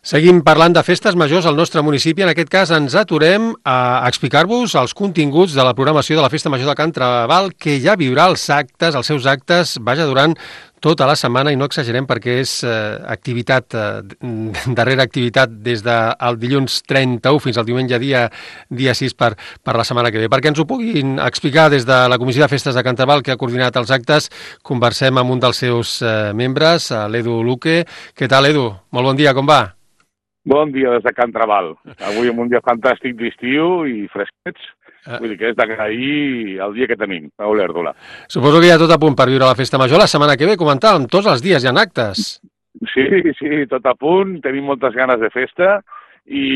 Seguim parlant de festes majors al nostre municipi. En aquest cas ens aturem a explicar-vos els continguts de la programació de la Festa Major de Can Traval, que ja viurà els seus actes, durant tota la setmana, i no exagerem perquè és activitat darrere activitat des del dilluns 31 fins al diumenge dia 6 per la setmana que ve. Perquè ens ho puguin explicar des de la Comissió de Festes de Can Traval, que ha coordinat els actes, conversem amb un dels seus membres, l'Edu Luque. Què tal, Edu? Molt bon dia, com va? Bon dia des de Can Traval. Avui en un dia fantàstic d'estiu i fresquets. Vull dir que és d'agrair el dia que tenim, a Olèrdola. Suposo que hi ha tot a punt per viure la Festa Major. La setmana que ve, comentàvem, tots els dies hi ha actes. Sí, tot a punt. Tenim moltes ganes de festa i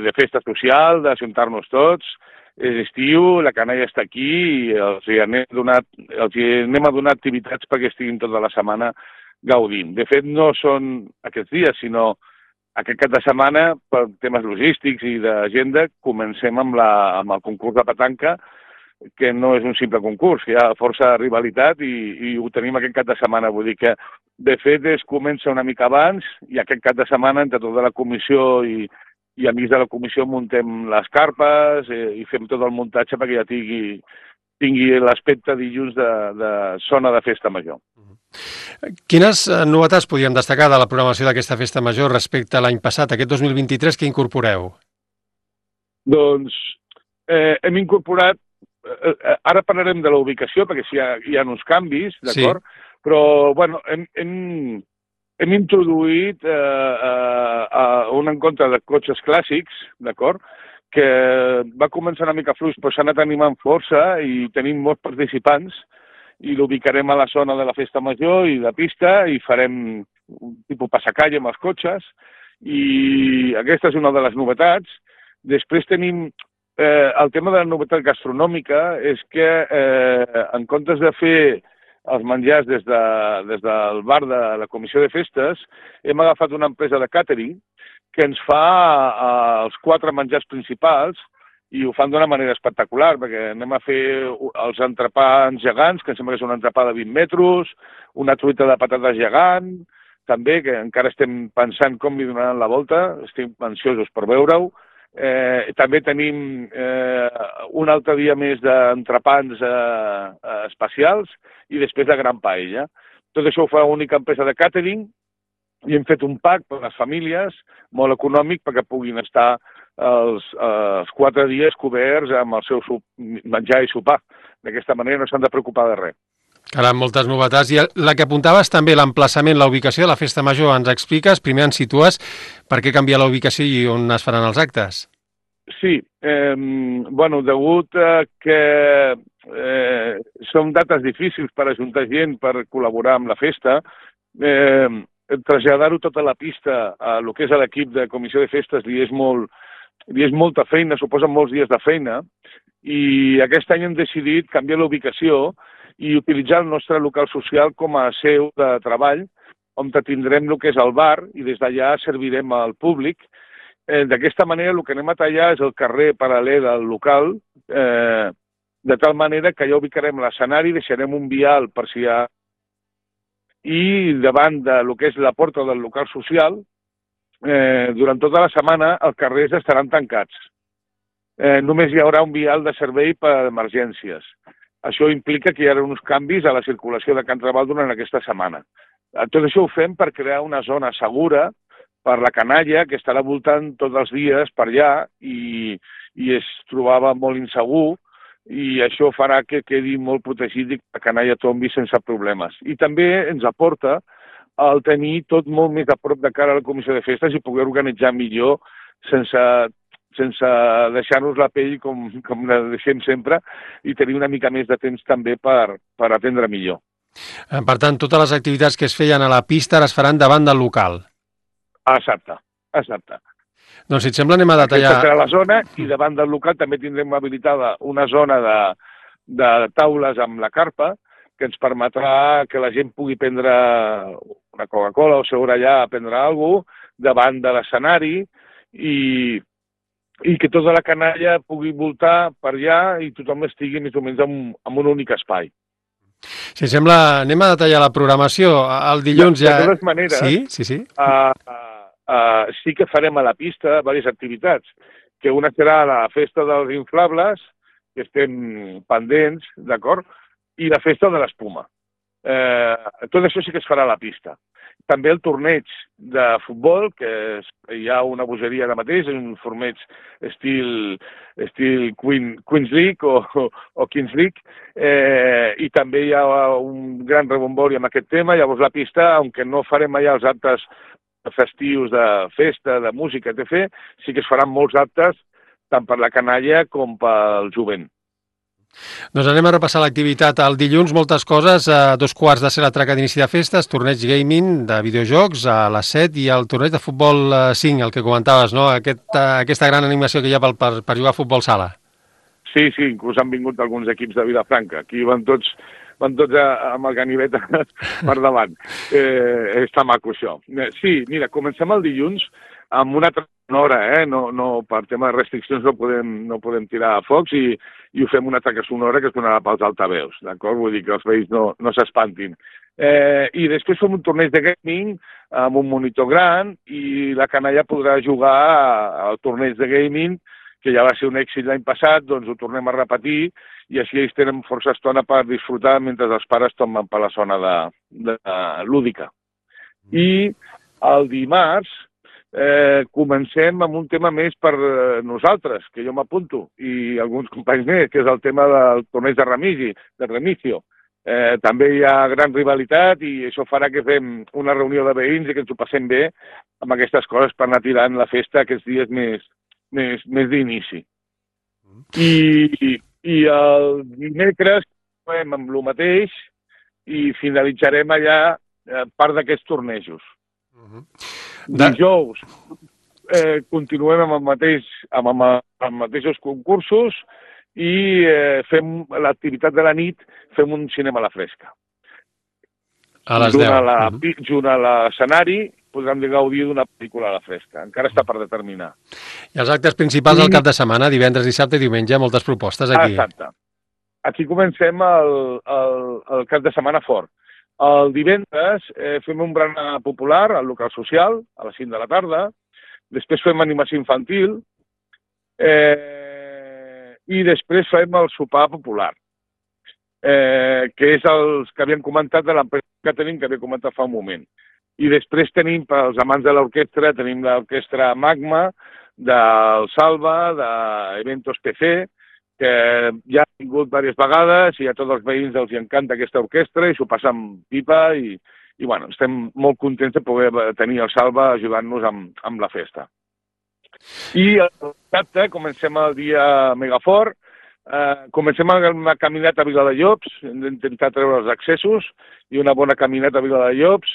de festa social, d'ajuntar-nos tots. És estiu, la canalla està aquí i els anem a donar activitats perquè estiguin tota la setmana gaudint. De fet, no són aquests dies, sinó aquest cap de setmana, per temes logístics i d'agenda, comencem amb el concurs de petanca, que no és un simple concurs, hi ha força rivalitat i ho tenim aquest cap de setmana. Vull dir que, de fet, es comença una mica abans i aquest cap de setmana, entre tota la comissió i amics de la comissió, muntem les carpes i fem tot el muntatge perquè ja tingui l'aspecte dilluns de zona de festa major. Quines novetats podríem destacar de la programació d'aquesta festa major respecte a l'any passat, aquest 2023, que incorporeu? Doncs hem incorporat, ara parlarem de la ubicació, perquè sí, hi ha uns canvis, d'acord? Sí. Però, bueno, hem introduït un encontre de cotxes clàssics, d'acord? Que va començar una mica fluix, però s'ha anat animant força i tenim molts participants, i l'ubicarem a la zona de la festa major i de pista i farem un tipus passacalle amb els cotxes i aquesta és una de les novetats. Després tenim el tema de la novetat gastronòmica, és que en comptes de fer els menjars des del bar de la Comissió de Festes, hem agafat una empresa de càtering que ens fa els 4 menjars principals i ho fan d'una manera espectacular, perquè anem a fer els entrepans gegants, que em sembla que és un entrepà de 20 metres, una truita de patates gegant, també, que encara estem pensant com li donaran la volta, estem ansiosos per veure-ho. També tenim un altre dia més d'entrepans especials i després de gran paella. Tot això ho fa una única empresa de càtering i hem fet un pack per a les famílies, molt econòmic, perquè puguin estar els 4 dies coberts amb el seu menjar i sopar. D'aquesta manera no s'han de preocupar de res. Caram, moltes novetats. I la que apuntaves també, l'emplaçament, la ubicació de la Festa Major, ens expliques, primer ens situes per què canvia la ubicació i on es faran els actes? Sí, bueno, degut a que són dates difícils per ajuntar gent per col·laborar amb la festa, traslladar-ho tota la pista a lo que és l'equip de Comissió de Festes li és molta feina, suposa molts dies de feina, i aquest any hem decidit canviar la ubicació i utilitzar el nostre local social com a seu de treball, on tindrem el que és el bar i des d'allà servirem al públic. D'aquesta manera el que anem a tallar és el carrer paral·lel al local, de tal manera que ja ubicarem l'escenari, deixarem un vial per si hi ha i davant del que és la porta del local social, durant tota la setmana els carrers estaran tancats. Només hi haurà un vial de servei per emergències. Això implica que hi haurà uns canvis a la circulació de Can Traval durant aquesta setmana. Tot això ho fem per crear una zona segura per la canalla, que estarà voltant tots els dies per allà i es trobava molt insegur, i això farà que quedi molt protegit i que la canalla tombi sense problemes. I també ens aporta el tenir tot molt més a prop de cara a la Comissió de Festes i poder organitzar millor sense deixar-nos la pell com la deixem sempre i tenir una mica més de temps també per atendre millor. Per tant, totes les activitats que es feien a la pista es faran davant del local. Exacte. Doncs si et sembla anem a detallar... Aquesta serà la zona i davant del local també tindrem habilitada una zona de taules amb la carpa que ens permetrà que la gent pugui prendre una Coca-Cola o seure allà a prendre alguna cosa davant de l'escenari i que tota la canalla pugui voltar per allà i tothom estigui més o menys en un únic espai. Si et sembla, anem a detallar la programació. El dilluns ja... De totes maneres, sí. sí que farem a la pista diverses activitats, que una serà la festa dels inflables, que estem pendents, d'acord? I la festa de l'espuma. Tot això sí que es farà a la pista. També el torneig de futbol, que hi ha una bogeria ara mateix, un torneig estil Queen's League o Kings League, i també hi ha un gran rebombori amb aquest tema. Llavors la pista, aunque no farem allà els actes festius de festa, de música, etc., sí que es faran molts actes tant per la canalla com pel jovent. Doncs anem a repassar l'activitat. El dilluns, moltes coses. A 2:15 de ser la traca d'inici de festes, torneig gaming de videojocs a les 7 i el torneig de futbol 5, el que comentaves, no? Aquesta gran animació que hi ha per jugar a futbol sala. Sí, inclús han vingut alguns equips de Vilafranca. Aquí van tots amb el ganivet per davant. Està maco, això. Sí, mira, comencem el dilluns amb una altra sonora, no, per tema de restriccions no podem tirar a focs i ho fem una traca sonora que sonarà pels altaveus, d'acord? Vull dir que els veïns no s'espantin. I després fem un torneig de gaming amb un monitor gran i la canalla podrà jugar al torneig de gaming, que ja va ser un èxit l'any passat, doncs ho tornem a repetir i així ells tenen força estona per disfrutar mentre els pares tomen per la zona lúdica. I el dimarts comencem amb un tema més per nosaltres, que jo m'apunto, i alguns companys més, que és el tema del torneig de Remigio. També hi ha gran rivalitat i això farà que fem una reunió de veïns i que ens ho passem bé amb aquestes coses per anar tirant la festa aquests dies més d'inici. I el dimecres fem amb el mateix i finalitzarem allà part d'aquests tornejos. Dijous continuem amb els mateixos concursos i fem l'activitat de la nit, fem un cinema a la fresca. A les 10. Junt a l'escenari podran gaudir d'una pel·lícula a la fresca. Encara està per determinar. I els actes principals del cap de setmana, divendres, dissabte i diumenge, moltes propostes aquí. Exacte. Aquí comencem el cap de setmana fort. El divendres fem un berenar popular al local social, a les 5 de la tarda. Després fem animació infantil. I després fem el sopar popular, que és els que havíem comentat de l'empresa que tenim, que havia comentat fa un moment. I després tenim, pels amants de l'orquestra, tenim l'orquestra Magma, del Salva, d'Eventos PC, que ja ha vingut diverses vegades i a tots els veïns els encanta aquesta orquestra i s'ho passen pipa i bueno, estem molt contents de poder tenir el Salva ajudant-nos amb la festa. I el dissabte comencem el dia megafort, comencem amb una caminata a Viladellops, hem d'intentar treure els accessos i una bona caminata a Viladellops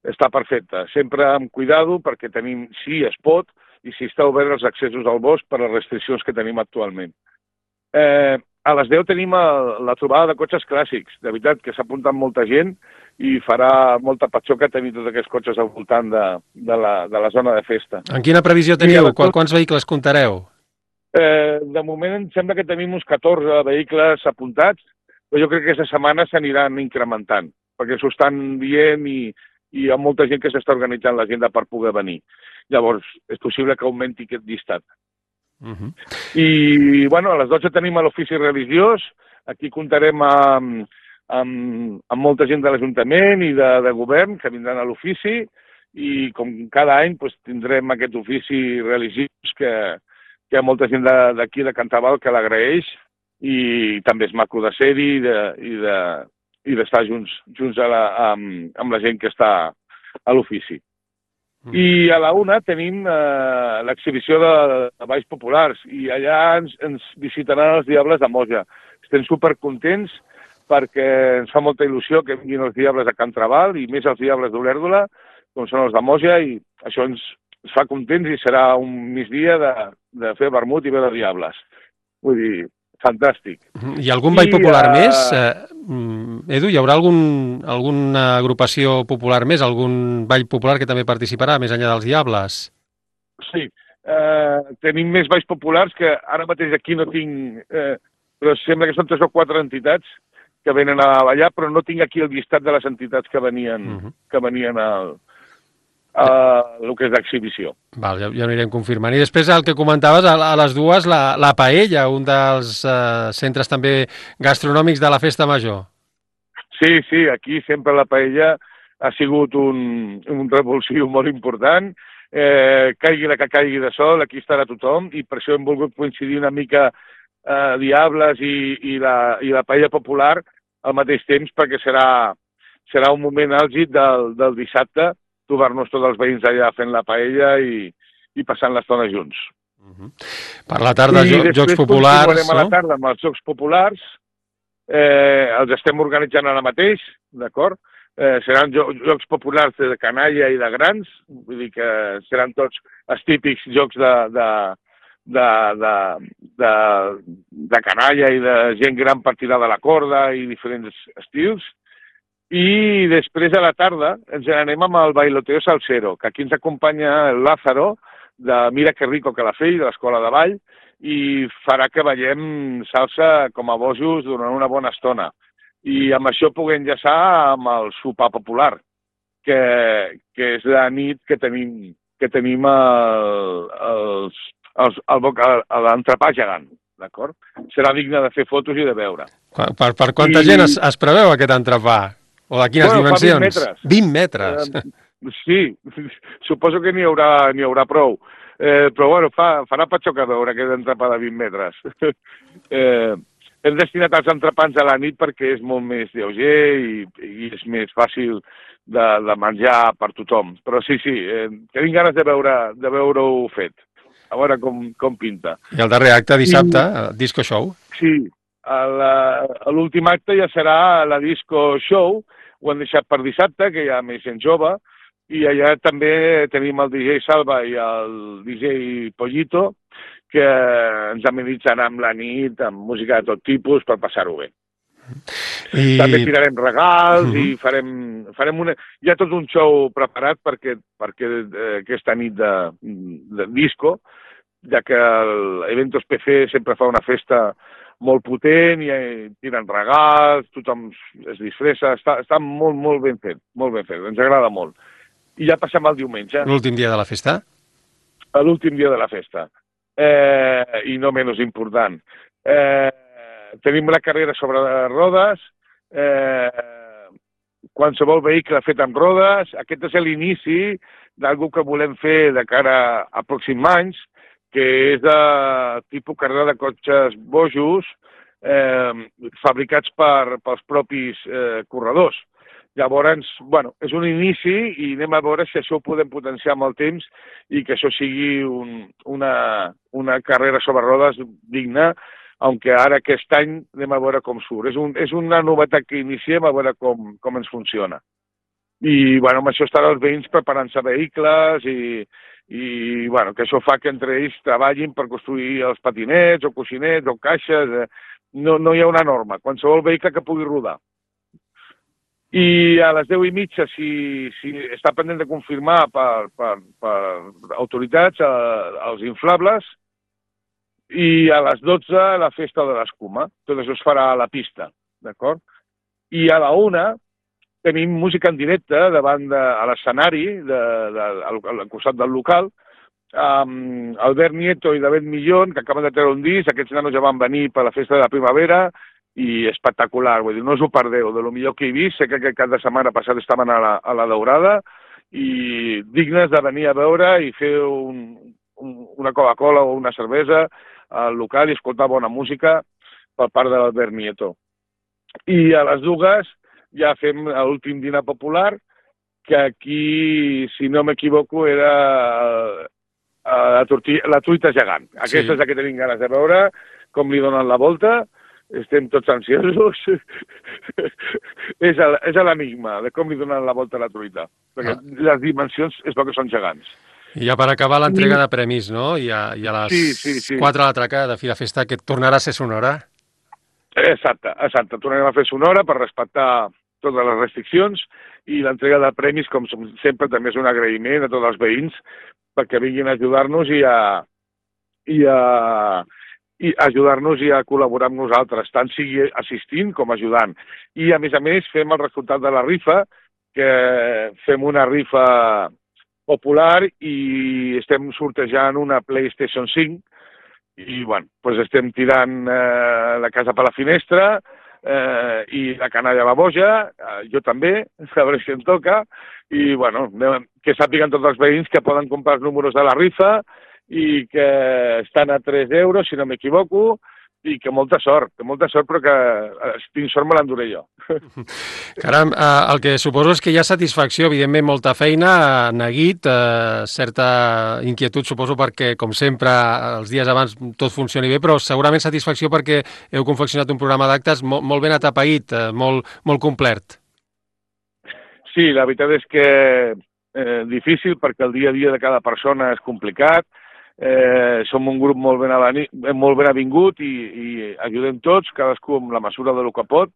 està perfecta, sempre amb cuidado perquè tenim, si es pot, i si està obert els accessos al bosc per les restriccions que tenim actualment. A les 10 tenim la trobada de cotxes clàssics, de veritat que s'ha apuntat molta gent i farà molta patxoca tenir tots aquests cotxes al voltant de la zona de festa. En quina previsió teniu? Quants vehicles comptareu? De moment em sembla que tenim uns 14 vehicles apuntats, però jo crec que aquesta setmana s'aniran incrementant, perquè s'ho estan dient i hi ha molta gent que s'està organitzant l'agenda per poder venir. Llavors, és possible que augmenti aquest llistat. I, bueno, a les 12 tenim l'ofici religiós. Aquí comptarem amb molta gent de l'Ajuntament i de govern que vindran a l'ofici i, com cada any, tindrem aquest ofici religiós que hi ha molta gent d'aquí de Cantaval que l'agraeix i també és maco de ser-hi i d'estar junts amb la gent que està a l'ofici. I a la 1 tenim l'exhibició de balls populars i allà ens visitaran els Diables de Moja. Estem supercontents perquè ens fa molta il·lusió que vinguin els Diables de Can Trabal i més els Diables d'Olèrdola, com són els de Moja, i això ens fa contents i serà un migdia de fer vermut i veure Diables. Vull dir, fantàstic. I algun ball popular més? Edu, hi haurà alguna agrupació popular més, algun ball popular que també participarà, més enllà dels Diables? Sí, tenim més balls populars que ara mateix aquí no tinc, però sembla que són 3 o 4 entitats que venen a ballar, però no tinc aquí el llistat de les entitats que venien el que és l'exhibició. Val, ja ho anirem confirmant. I després el que comentaves, a les dues, la Paella, un dels centres també gastronòmics de la Festa Major. Sí, aquí sempre la paella ha sigut un revulsiu molt important. Caigui la que caigui de sol, aquí estarà tothom, i per això hem volgut coincidir una mica Diables i la paella popular al mateix temps, perquè serà un moment àlgid del dissabte, trobar-nos tots els veïns allà fent la paella i passant l'estona junts. Per la tarda, Jocs Populars, no? I després a la tarda amb els Jocs Populars, els estem organitzant ara mateix, d'acord? Seran Jocs Populars de canalla i de grans, vull dir que seran tots els típics jocs de canalla i de gent gran per tirar de la corda i diferents estils. I després a la tarda ens anem amb el bailoteo salsero, que aquí ens acompanya el Lázaro, de Mira que rico que la fei, de l'Escola de Ball, i farà que ballem salsa com a bojos durant una bona estona. I amb això puguem enllaçar amb el sopar popular, que és la nit que tenim l'entrepà gegant, d'acord? Serà digne de fer fotos i de veure. Per quanta gent es preveu aquest entrepà? O de quines dimensions? 20 metres. Sí, suposo que n'hi haurà prou. Però bueno, farà patxoca veure aquest entrepà de 20 metres. Hem destinat els entrepans a la nit perquè és molt més lleuger i és més fàcil de menjar per tothom. Però sí, tenim ganes de veure-ho fet. A veure com pinta. I el darrer acte, dissabte, el Disco Show. Sí, l'últim acte ja serà la Disco Show. Ho hem deixat per dissabte, que hi ha més gent jove, i allà també tenim el DJ Salva i el DJ Pollito, que ens amenitzaran amb la nit, amb música de tot tipus, per passar-ho bé. També tirarem regals i farem una... Hi ha tot un show preparat perquè aquesta nit de disco, ja que l'Eventos PC sempre fa una festa molt potent, i tiren regals, tothom es disfressa, està molt ben fet, ens agrada molt. I ja passem al diumenge. L'últim dia de la festa? L'últim dia de la festa. I no menys important. Tenim la carrera sobre rodes, qualsevol vehicle fet amb rodes. Aquest és l'inici d'alguna que volem fer de cara a pròxims anys, que és de tipus carrera de cotxes bojos fabricats pels propis corredors. Llavors, bueno, és un inici i anem a veure si això ho podem potenciar amb el temps i que això sigui una carrera sobre rodes digna, aunque ara aquest any anem a veure com surt. És una novetat que iniciem a veure com ens funciona. I bueno, amb això estaran els veïns preparant-se vehicles i bueno, que això fa que entre ells treballin per construir els patinets o coixinets o caixes. No hi ha una norma, qualsevol vehicle que pugui rodar. I a les 10:30, si està pendent de confirmar per autoritats els inflables, i a les 12 la festa de l'escuma. Tot això es farà a la pista, d'acord? I a la 1 tenim música en directe davant a l'escenari, al costat del local, amb Albert Nieto i David Millón, que acaben de treure un disc. Aquests nanos ja van venir per la festa de la primavera i espectacular, vull dir, no us ho perdeu, de lo millor que he vist. Sé que aquest cap de setmana passat estaven a la Daurada i dignes de venir a veure i fer una Coca-Cola o una cervesa al local i escoltar bona música per part de l'Albert Nieto. I a les 2 ja fem l'últim dinar popular, que aquí, si no m'equivoco, era la truita gegant. Aquesta és la que tenim ganes de veure, com li donen la volta. Estem tots ansiosos. És l'enigma de com li donen la volta a la truita, perquè les dimensions és que són gegants. I ja per acabar l'entrega de premis, no? I a les 4 de l'atraca de Fira Festa, que tornarà a ser sonora. Exacte. Tornarem a fer sonora per respectar totes les restriccions, i l'entrega de premis, com sempre, també és un agraïment a tots els veïns perquè vinguin a ajudar-nos i ajudar-nos i a col·laborar amb nosaltres, tant sigui assistint com ajudant. I, a més, fem el resultat de la rifa, que fem una rifa popular i estem sortejant una PlayStation 5 i, bueno, doncs estem tirant la casa per la finestra i la canalla a la boja, jo també, a veure si em toca, i, bueno, que sàpiguen tots els veïns que poden comprar els números de la rifa i que estan a 3 euros, si no m'equivoco, i que molta sort, però que si tinc sort me l'enduré jo. Caram, el que suposo és que hi ha satisfacció, evidentment molta feina, neguit, certa inquietud, suposo, perquè, com sempre, els dies abans tot funcioni bé, però segurament satisfacció perquè heu confeccionat un programa d'actes molt ben atapeït, molt complet. Sí, la veritat és que difícil perquè el dia a dia de cada persona és complicat. Som un grup molt ben avingut i ajudem tots, cadascú amb la mesura del que pot.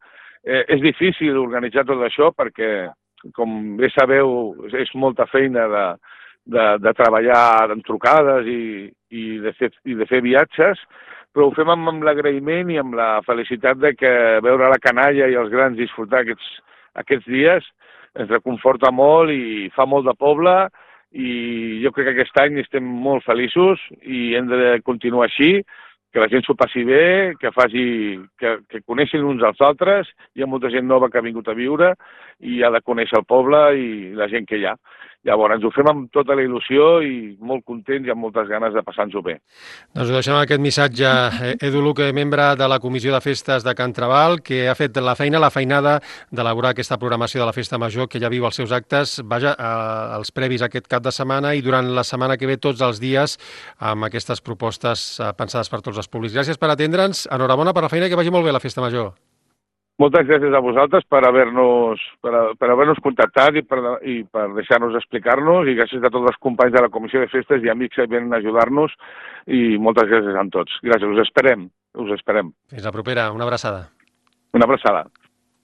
És difícil organitzar tot això perquè, com bé sabeu, és molta feina de treballar en trucades i de fer viatges, però ho fem amb l'agraïment i amb la felicitat de que veure la canalla i els grans disfrutar aquests dies ens reconforta molt i fa molt de poble, i jo crec que aquest any estem molt feliços i hem de continuar així, que la gent s'ho passi bé, que coneixin uns als altres. Hi ha molta gent nova que ha vingut a viure i ha de conèixer el poble i la gent que hi ha. Llavors, ho fem amb tota la il·lusió i molt contents i amb moltes ganes de passar-nos-ho bé. Doncs ho deixem aquest missatge. Edu Luque, membre de la Comissió de Festes de Can Trabal, que ha fet la feinada d'elaborar aquesta programació de la Festa Major, que ja viu els seus actes, els previs aquest cap de setmana i durant la setmana que ve tots els dies amb aquestes propostes pensades per tots els públics. Gràcies per atendre'ns, enhorabona per la feina i que vagi molt bé la Festa Major. Moltes gràcies a vosaltres per haver-nos contactat i per deixar-nos explicar-nos, i gràcies a tots els companys de la Comissió de Festes i amics que venen a ajudar-nos, i moltes gràcies a tots. Gràcies, us esperem. Fins la propera, una abraçada. Una abraçada.